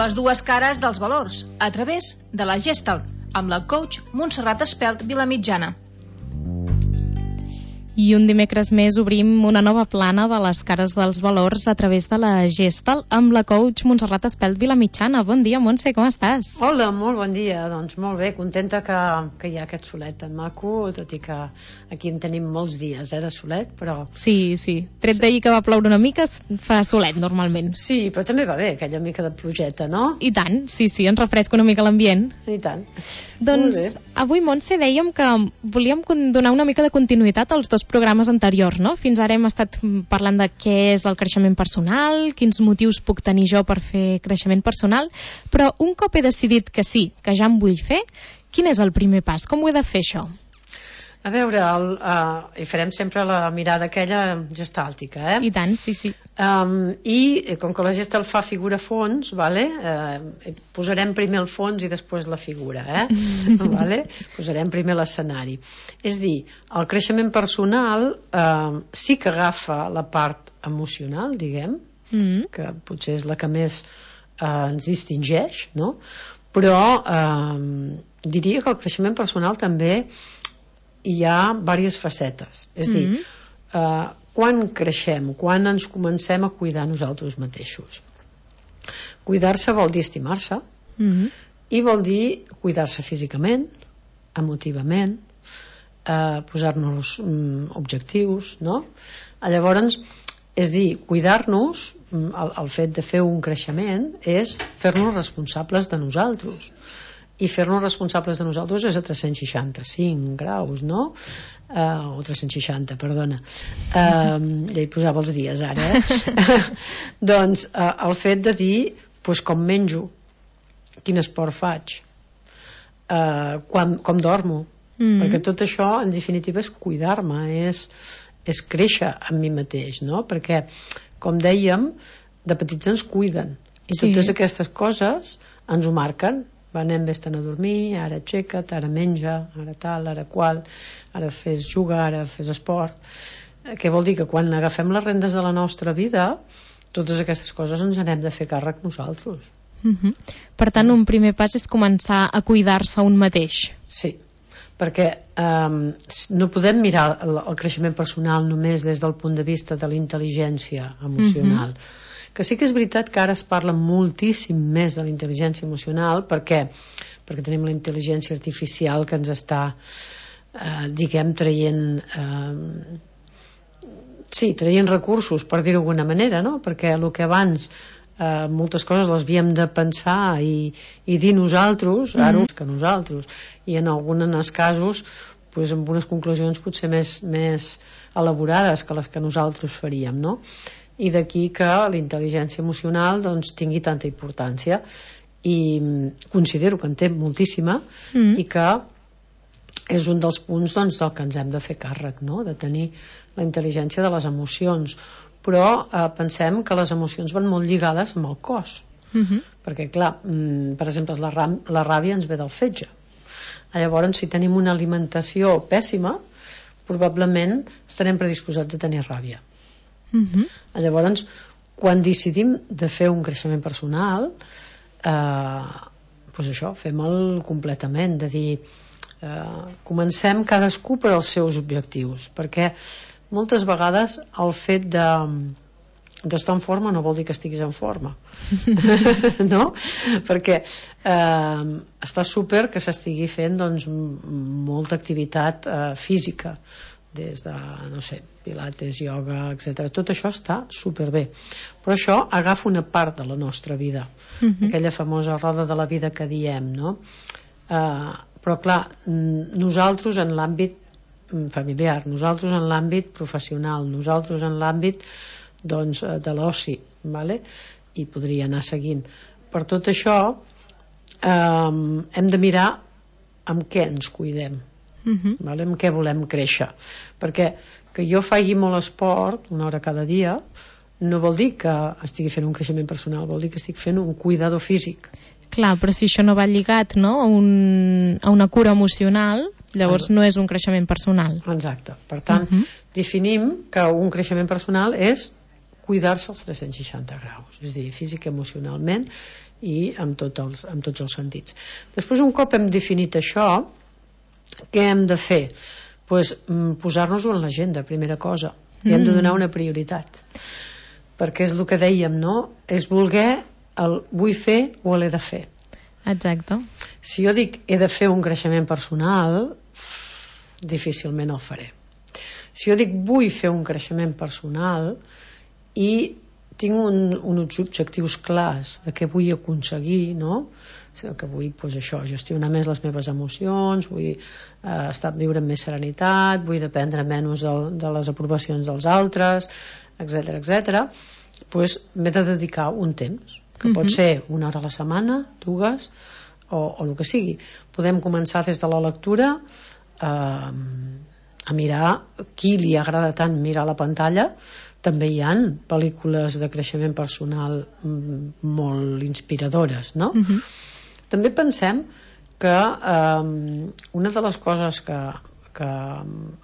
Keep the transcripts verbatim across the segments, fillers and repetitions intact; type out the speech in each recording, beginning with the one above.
Les dues cares dels valors, a través de la Gestalt, amb la coach Montserrat Espelt Vilamitjana. I un dimecres més obrim una nova plana de les cares dels valors a través de la Gestalt amb la coach Montserrat Espelt Vilamitjana. Bon dia, Montse, com estàs? Hola, molt bon dia. Doncs molt bé, contenta que, que hi ha aquest solet tan maco, tot i que aquí en tenim molts dies, eh, de solet, però... Sí, sí. Tret d'ahir que va ploure una mica, fa solet normalment. Sí, però també va bé aquella mica de plogeta, no? I tant, sí, sí, ens refresca una mica l'ambient. I tant. Doncs avui, Montse, dèiem que volíem donar una mica de continuïtat als dos programes anteriors, no? Fins ara hem estat parlant de què és el creixement personal, quins motius puc tenir jo per fer creixement personal, però un cop he decidit que sí, que ja em vull fer, quin és el primer pas? Com ho he de fer, això? A veure, el, uh, hi farem sempre la mirada aquella gestàltica, eh? I tant, sí, sí. Um, I com que la gestalt fa figura fons, vale? uh, posarem primer el fons i després la figura, eh? Vale? Posarem primer l'escenari. És dir, el creixement personal uh, sí que agafa la part emocional, diguem, mm. que potser és la que més uh, ens distingeix, no? Però uh, diria que el creixement personal també hi ha diverses facetes. És a dir, mm-hmm. eh, quan creixem, quan ens comencem a cuidar nosaltres mateixos. Cuidar-se vol dir estimar-se, mm-hmm. i vol dir cuidar-se físicament, emotivament, eh, posar-nos mm, objectius, no? Llavors, és dir, cuidar-nos, el, el fet de fer un creixement és fer-nos responsables de nosaltres. I fer-nos responsables de nosaltres és a tres-cents seixanta-cinc graus, no? Uh, o tres-cents seixanta, perdona. Uh, ja hi posava els dies ara, eh? Doncs uh, el fet de dir pues, com menjo, quin esport faig, uh, quan, com dormo, mm. perquè tot això en definitiva és cuidar-me, és, és créixer amb mi mateix, no? Perquè, com dèiem, de petits ens cuiden i sí. Totes aquestes coses ens ho marquen. Anem vés-te'n a dormir, ara aixeca't, ara menja, ara tal, ara qual, ara fes jugar, ara fes esport. Què vol dir? Que quan agafem les rendes de la nostra vida, totes aquestes coses ens n'hem de fer càrrec nosaltres. Mm-hmm. Per tant, un primer pas és començar a cuidar-se un mateix. Sí, perquè um, no podem mirar el, el creixement personal només des del punt de vista de la intel·ligència emocional. Mm-hmm. Que sí que és veritat que ara es parla moltíssim més de la intel·ligència emocional perquè, perquè tenim la intel·ligència artificial que ens està eh, diguem traient eh, sí, traient recursos, per dir-ho d'alguna manera, no? Perquè el que abans eh, moltes coses les havíem de pensar i, i dir nosaltres, ara mm-hmm. que nosaltres, i en alguns casos pues, amb unes conclusions potser més, més elaborades que les que nosaltres faríem, no? I d'aquí que la intel·ligència emocional doncs, tingui tanta importància i considero que en té moltíssima mm. i que és un dels punts doncs, del que ens hem de fer càrrec, no? De tenir la intel·ligència de les emocions, però eh, pensem que les emocions van molt lligades amb el cos, mm-hmm. perquè clar, mm, per exemple la, la ràbia ens ve del fetge. Llavors si tenim una alimentació pèssima probablement estarem predisposats a tenir ràbia. Mm-hmm. Llavors quan decidim de fer un creixement personal eh, doncs això, fem-el completament, de dir eh, comencem cadascú per als seus objectius, perquè moltes vegades el fet de d'estar en forma no vol dir que estiguis en forma no? Perquè eh, està super que s'estigui fent doncs, molta activitat eh, física, des de, no sé, pilates, ioga, etcètera. Tot això està superbé. Però això agafa una part de la nostra vida. Uh-huh. Aquella famosa roda de la vida que diem, no? Uh, però clar, nosaltres en l'àmbit familiar, nosaltres en l'àmbit professional, nosaltres en l'àmbit doncs, de l'oci, vale? I podria anar seguint. Per tot això um, hem de mirar amb què ens cuidem. Uh-huh. Vale? Amb què volem créixer, perquè que jo faci molt esport una hora cada dia no vol dir que estigui fent un creixement personal, vol dir que estic fent un cuidador físic. Clar, però si això no va lligat, no? a, un, a una cura emocional, llavors no és un creixement personal. Exacte, per tant uh-huh. definim que un creixement personal és cuidar-se als tres-cents seixanta graus, és a dir, físic, emocionalment i amb, tot els, amb tots els sentits. Després, un cop hem definit això, què hem de fer? Pues, posar-nos-ho en l'agenda, primera cosa, i hem de donar una prioritat, perquè és el que dèiem, no? És voler el vull fer o l'he de fer. Exacte. Si jo dic he de fer un creixement personal, difícilment el faré. Si jo dic vull fer un creixement personal i tinc un, uns objectius clars de què vull aconseguir, no? Que vull, doncs això, gestionar més les meves emocions, vull eh, estar viure amb més serenitat, vull dependre menys de, de les aprovacions dels altres, etcètera, etcètera, doncs m'he de dedicar un temps, que pot uh-huh. ser una hora a la setmana, dues, o, o el que sigui. Podem començar des de la lectura eh, a mirar qui li agrada tant mirar la pantalla. També hi ha pel·lícules de creixement personal molt inspiradores, no? Uh-huh. També pensem que eh, una de les coses que, que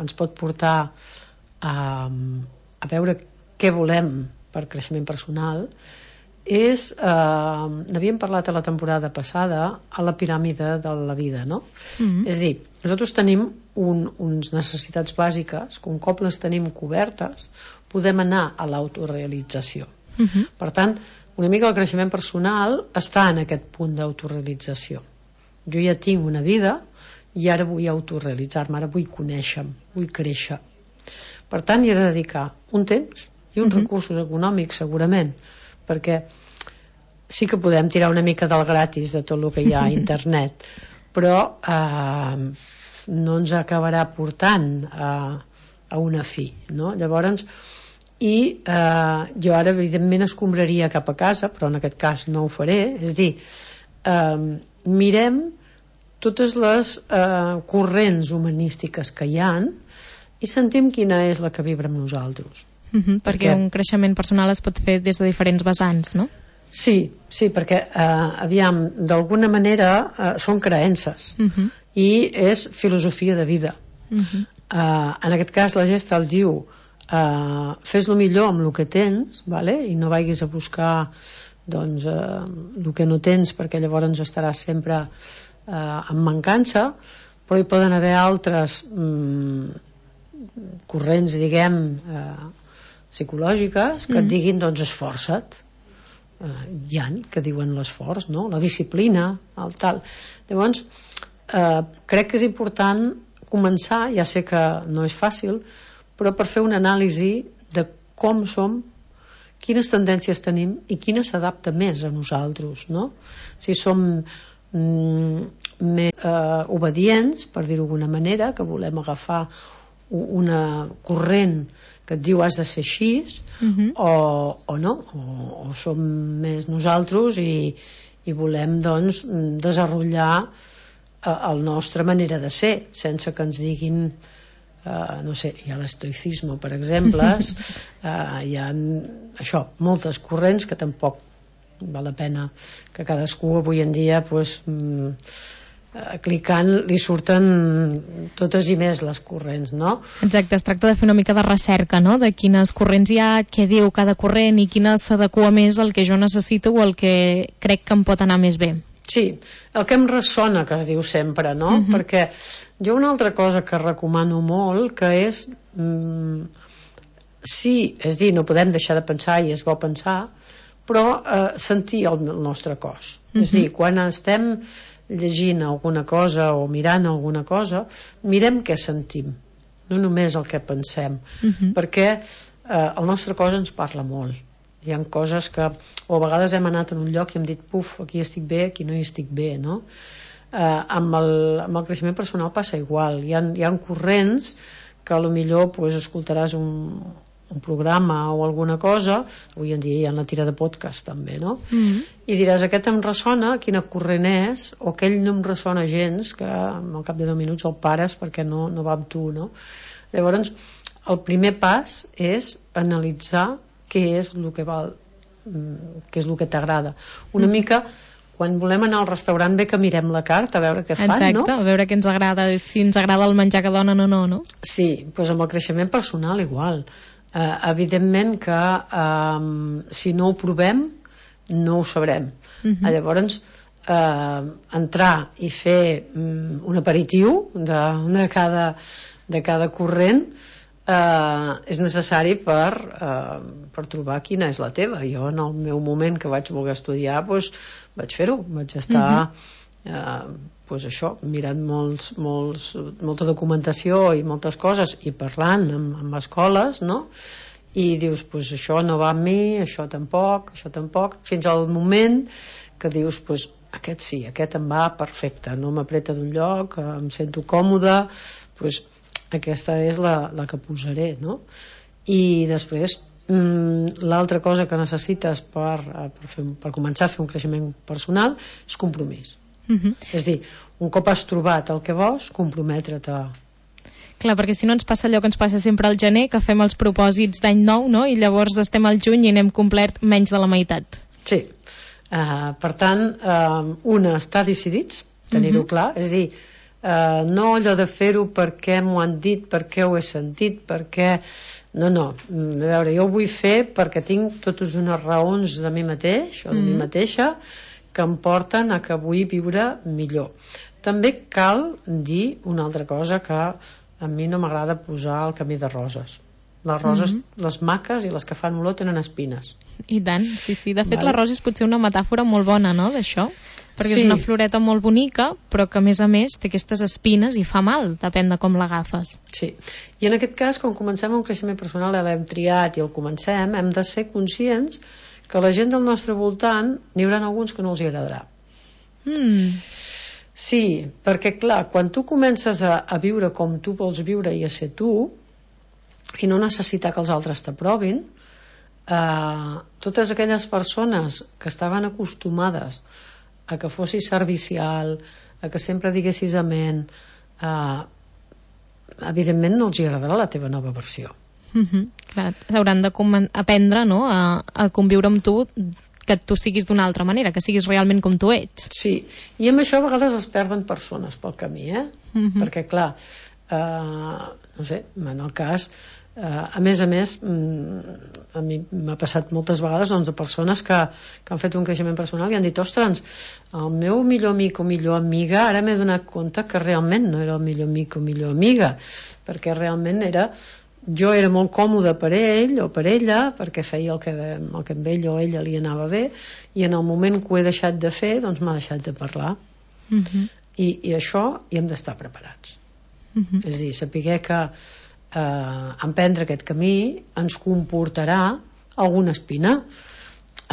ens pot portar a, a veure què volem per creixement personal és, eh, n'havíem parlat a la temporada passada, a la piràmide de la vida, no? Uh-huh. És a dir, nosaltres tenim un, uns necessitats bàsiques que un cop les tenim cobertes podem anar a l'autorealització. Uh-huh. Per tant, una mica el creixement personal està en aquest punt d'autorealització. Jo ja tinc una vida i ara vull autorealitzar-me, ara vull conèixer-me, vull créixer. Per tant, hi he de dedicar un temps i uns uh-huh. recursos econòmics, segurament, perquè sí que podem tirar una mica del gratis de tot el que hi ha a internet, però eh, no ens acabarà portant a, a una fi, no? Llavors, i eh, jo ara evidentment escombraria cap a casa, però en aquest cas no ho faré, és dir, eh, mirem totes les eh, corrents humanístiques que hi ha i sentim quina és la que vibra amb nosaltres. Uh-huh, perquè, perquè un creixement personal es pot fer des de diferents vessants, no? Sí, sí, perquè eh, aviam, d'alguna manera eh, són creences uh-huh. i és filosofia de vida. Uh-huh. eh, en aquest cas la Gestalt diu Uh, fes-lo millor amb el que tens, vale? I no vagis a buscar doncs, uh, el que no tens, perquè llavors estaràs sempre uh, en mancança, però hi poden haver altres um, corrents, diguem, uh, psicològiques que mm. et diguin, doncs, esforça't. Uh, hi ha que diuen l'esforç, no? La disciplina, el tal. Llavors, uh, crec que és important començar, ja sé que no és fàcil, però per fer una anàlisi de com som, quines tendències tenim i quina s'adapta més a nosaltres, no? Si som mm, més eh, obedients, per dir-ho d'alguna manera, que volem agafar una corrent que et diu has de ser així, uh-huh. o, o no, o, o som més nosaltres i, i volem doncs desenvolupar eh, la nostra manera de ser, sense que ens diguin Uh, no sé, hi ha l'estoicisme, per exemple, uh, hi ha això, moltes corrents que tampoc val la pena que cadascú avui en dia pues, mm, uh, clicant li surten totes i més les corrents, no? Exacte, es tracta de fer una mica de recerca, no? De quines corrents hi ha, què diu cada corrent i quina s'adequa més al que jo necessito o al que crec que em pot anar més bé. Sí, el que em ressona, que es diu sempre, no? Uh-huh. Perquè jo una altra cosa que recomano molt, que és mm, sí, és dir, no podem deixar de pensar i és bo pensar, però eh, sentir el, el nostre cos. Uh-huh. És dir, quan estem llegint alguna cosa o mirant alguna cosa, mirem què sentim, no només el que pensem, uh-huh. perquè eh, el nostre cos ens parla molt. Hi ha coses que, o a vegades hem anat en un lloc i hem dit, puf, aquí estic bé, aquí no hi estic bé, no? Eh, amb, el, amb el creixement personal passa igual. Hi ha, hi ha corrents que a lo millor pues, escoltaràs un, un programa o alguna cosa, avui en dia hi ha la tira de podcast també, no? Mm-hmm. I diràs, aquest em ressona, quina corrent és, o aquell no em ressona gens, que al cap de deu minuts el pares perquè no, no va amb tu, no? Llavors, el primer pas és analitzar què és el que val, què és el que t'agrada. Una mm. mica, quan volem anar al restaurant, bé que mirem la carta, a veure què fan, Exacte, no? Exacte, a veure què ens agrada, si ens agrada el menjar que donen o no, no? Sí, doncs amb el creixement personal igual. eh, evidentment que eh, si no ho provem no ho sabrem. Uh-huh. Llavors eh, entrar i fer um, un aperitiu de, de, cada, de cada corrent eh, és necessari per, eh, per trobar quina és la teva. Jo en el meu moment que vaig voler estudiar doncs, vaig fer-ho, vaig estar uh-huh. eh, doncs això, mirant molts, molts, molta documentació i moltes coses i parlant amb, amb escoles, no? I dius, pues això no va amb mi, això tampoc, això tampoc, fins al moment que dius, pues aquest sí, aquest em va perfecte, no m'apreta d'un lloc, em sento còmode, pues aquesta és la, la que posaré, no? I després, mmm, l'altra cosa que necessites per, per, fer, per començar a fer un creixement personal és compromís. Uh-huh. És dir, un cop has trobat el que vols, comprometre't a... Clar, perquè si no ens passa allò que ens passa sempre al gener, que fem els propòsits d'any nou, no? I llavors estem al juny i n'hem complert menys de la meitat. Sí. Uh, per tant, uh, una, està decidits, tenir-ho uh-huh. clar, és dir, uh, no allò de fer-ho perquè m'ho han dit, perquè ho he sentit, perquè... No, no, a veure, jo ho vull fer perquè tinc totes unes raons de mi mateix o de uh-huh. mi mateixa que em porten a que vull viure millor. També cal dir una altra cosa que a mi no m'agrada posar el camí de roses. Les roses, mm-hmm. les maques i les que fan olor tenen espines. I tant, sí, sí. De fet, vale. La rosa és potser una metàfora molt bona, no?, d'això. Perquè sí. És una floreta molt bonica, però que a més a més té aquestes espines i fa mal, depèn de com l'agafes. Sí. I en aquest cas, quan comencem un creixement personal, l'hem triat i el comencem, hem de ser conscients que la gent del nostre voltant n'hi haurà alguns que no els hi agradarà. Mm. Sí, perquè clar, quan tu comences a, a viure com tu vols viure i a ser tu i no necessitar que els altres t'aprovin, eh, totes aquelles persones que estaven acostumades a que fossis servicial, a que sempre diguessis amén, eh, evidentment no els hi agradarà la teva nova versió. Mm-hmm, clar, hauran de com- aprendre, no?, a, a conviure amb tu, que tu siguis d'una altra manera, que siguis realment com tu ets. Sí, i amb això a vegades es perden persones pel camí, eh? Mm-hmm. Perquè clar, eh, no sé, en el cas, eh, a més a més, a mi m'ha passat moltes vegades doncs, de persones que, que han fet un creixement personal i han dit, ostres, el meu millor amic o millor amiga, ara m'he donat compte que realment no era el millor amic o millor amiga, perquè realment era... jo era molt còmode per ell o per ella perquè feia el que, el que amb ell o ella li anava bé i en el moment que ho he deixat de fer doncs m'ha deixat de parlar. Uh-huh. I, i això hi hem d'estar preparats. Uh-huh. És a dir, saber que eh, emprendre aquest camí ens comportarà alguna espina.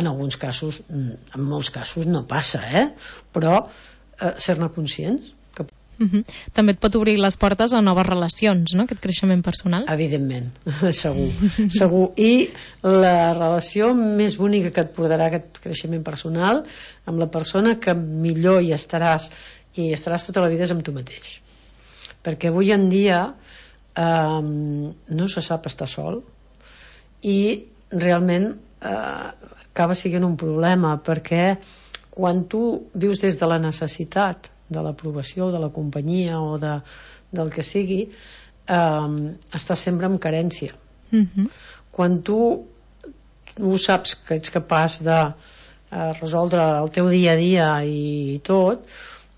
En alguns casos, en molts casos no passa, eh? Però eh, ser-ne conscients. Uh-huh. També et pot obrir les portes a noves relacions, no?, aquest creixement personal. Evidentment, segur, segur. I la relació més bonica que et portarà aquest creixement personal amb la persona que millor hi estaràs i estaràs tota la vida és amb tu mateix. Perquè avui en dia eh, no se sap estar sol i realment eh, acaba sent un problema perquè quan tu vius des de la necessitat de l'aprovació, de la companyia o de, del que sigui, eh, estàs sempre amb carència. Uh-huh. Quan tu, tu saps que ets capaç de eh, resoldre el teu dia a dia i tot,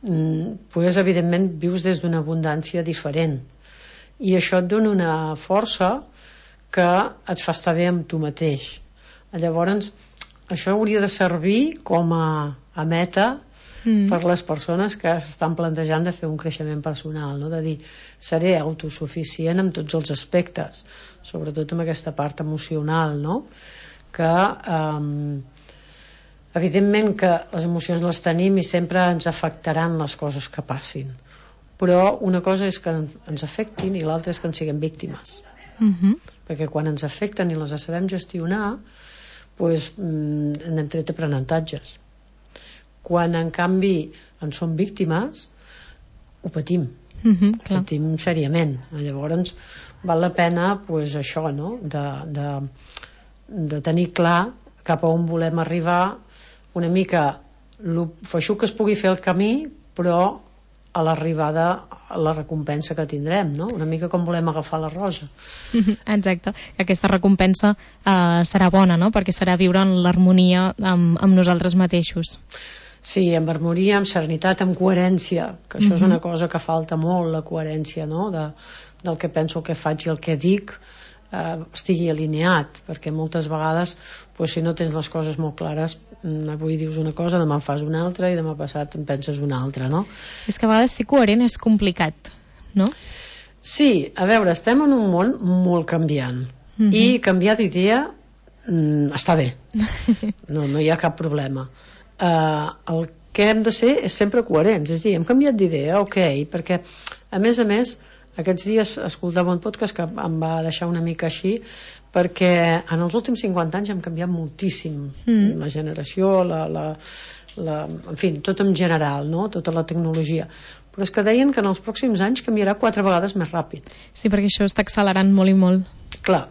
mm, pues, evidentment vius des d'una abundància diferent. I això et dona una força que et fa estar bé amb tu mateix. Llavors, això hauria de servir com a, a meta Mm. per les persones que estan plantejant de fer un creixement personal, no? De dir, seré autosuficient en tots els aspectes, sobretot amb aquesta part emocional, no? Que eh, evidentment que les emocions les tenim i sempre ens afectaran les coses que passin, però una cosa és que ens afectin i l'altra és que en siguem víctimes. Mm-hmm. Perquè quan ens afecten i les sabem gestionar, doncs, n'hem tret aprenentatges. Quan en canvi en som víctimes ho patim, mm-hmm, ho patim seriament. Llavors val la pena pues, això, no? de, de, de tenir clar cap a on volem arribar, una mica lo feixuc que es pugui fer el camí, però a l'arribada a la recompensa que tindrem, no? Una mica com volem agafar la rosa. Exacte, que aquesta recompensa eh, serà bona, no? Perquè serà viure en l'harmonia amb, amb nosaltres mateixos. Sí, amb harmonia, amb serenitat, amb coherència, que això uh-huh. és una cosa que falta molt, la coherència, no? De, del que penso, el que faig i el que dic eh, estigui alineat, perquè moltes vegades pues, si no tens les coses molt clares, avui dius una cosa, demà fas una altra i demà passat en penses una altra, no? És que a vegades ser coherent és complicat, no? Sí, a veure, estem en un món molt canviant uh-huh. i canviar d'idea mm, està bé, no, no hi ha cap problema. Uh, el que hem de ser és sempre coherents, és a dir, hem canviat d'idea, ok, perquè a més a més aquests dies escoltava un podcast que em va deixar una mica així, perquè en els últims cinquanta anys hem canviat moltíssim mm. la generació, la, la, la, en fi, tot en general, no? Tota la tecnologia, però és que deien que en els pròxims anys canviarà quatre vegades més ràpid. Sí, perquè això està accelerant molt i molt. Clar,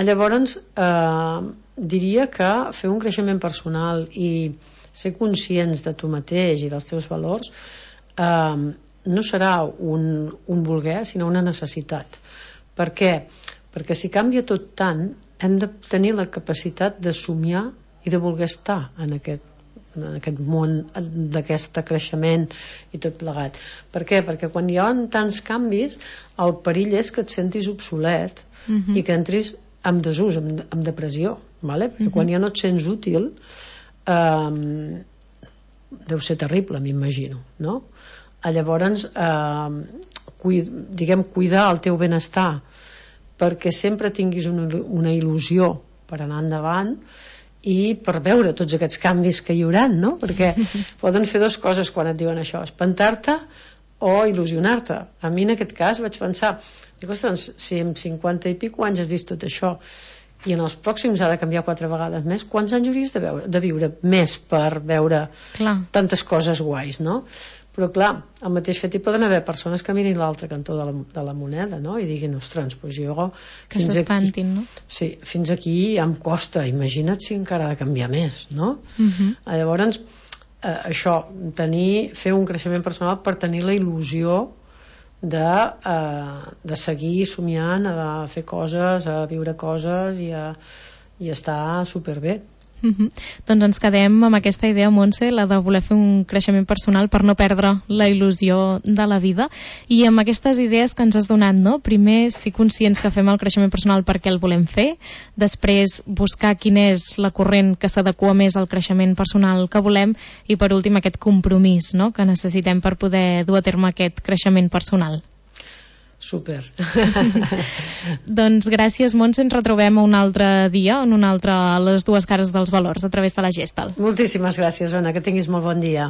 llavors eh, diria que fer un creixement personal i ser conscients de tu mateix i dels teus valors eh, no serà un, un voler, sinó una necessitat. Per què? Perquè si canvia tot tant, hem de tenir la capacitat de somiar i de voler estar en aquest, en aquest món d'aquest creixement i tot plegat. Per què? Perquè quan hi ha tants canvis, el perill és que et sentis obsolet uh-huh. i que entris en desús, en, en depressió, vale? Perquè uh-huh. quan ja no et sents útil eh, deu ser terrible, m'imagino, no? Llavors eh, cuid, diguem, cuidar el teu benestar perquè sempre tinguis una, una il·lusió per anar endavant i per veure tots aquests canvis que hi haurà, no? Perquè poden fer dues coses quan et diuen això, espantar-te o il·lusionar-te. A mi en aquest cas vaig pensar, dic, ostres, si en cinquanta i pico anys has vist tot això i en els pròxims ha de canviar quatre vegades més, quants anys hauries de, veure, de viure més per veure Clar. tantes coses guais, no? Però clar, al mateix fet hi poden haver persones que mirin l'altre cantó de la, de la moneda, no? I diguin, ostres, doncs jo que s'espantin, no? Sí, fins aquí ja em costa, imagina't si encara ha de canviar més, no? Uh-huh. Llavors eh, això, tenir, fer un creixement personal per tenir la il·lusió de, eh, de seguir somiant, a fer coses, a viure coses i, a, i estar superbé. Uh-huh. Doncs ens quedem amb aquesta idea, Montse, la de voler fer un creixement personal per no perdre la il·lusió de la vida, i amb aquestes idees que ens has donat, no? Primer, ser conscients que fem el creixement personal perquè el volem fer, després buscar quina és la corrent que s'adequa més al creixement personal que volem, i per últim aquest compromís, no?, que necessitem per poder dur a terme aquest creixement personal. Super. Doncs gràcies, Montse, ens retrobem un altre dia, en un altre, a les dues cares dels valors, a través de la Gestal. Moltíssimes gràcies, Ona, que tinguis molt bon dia.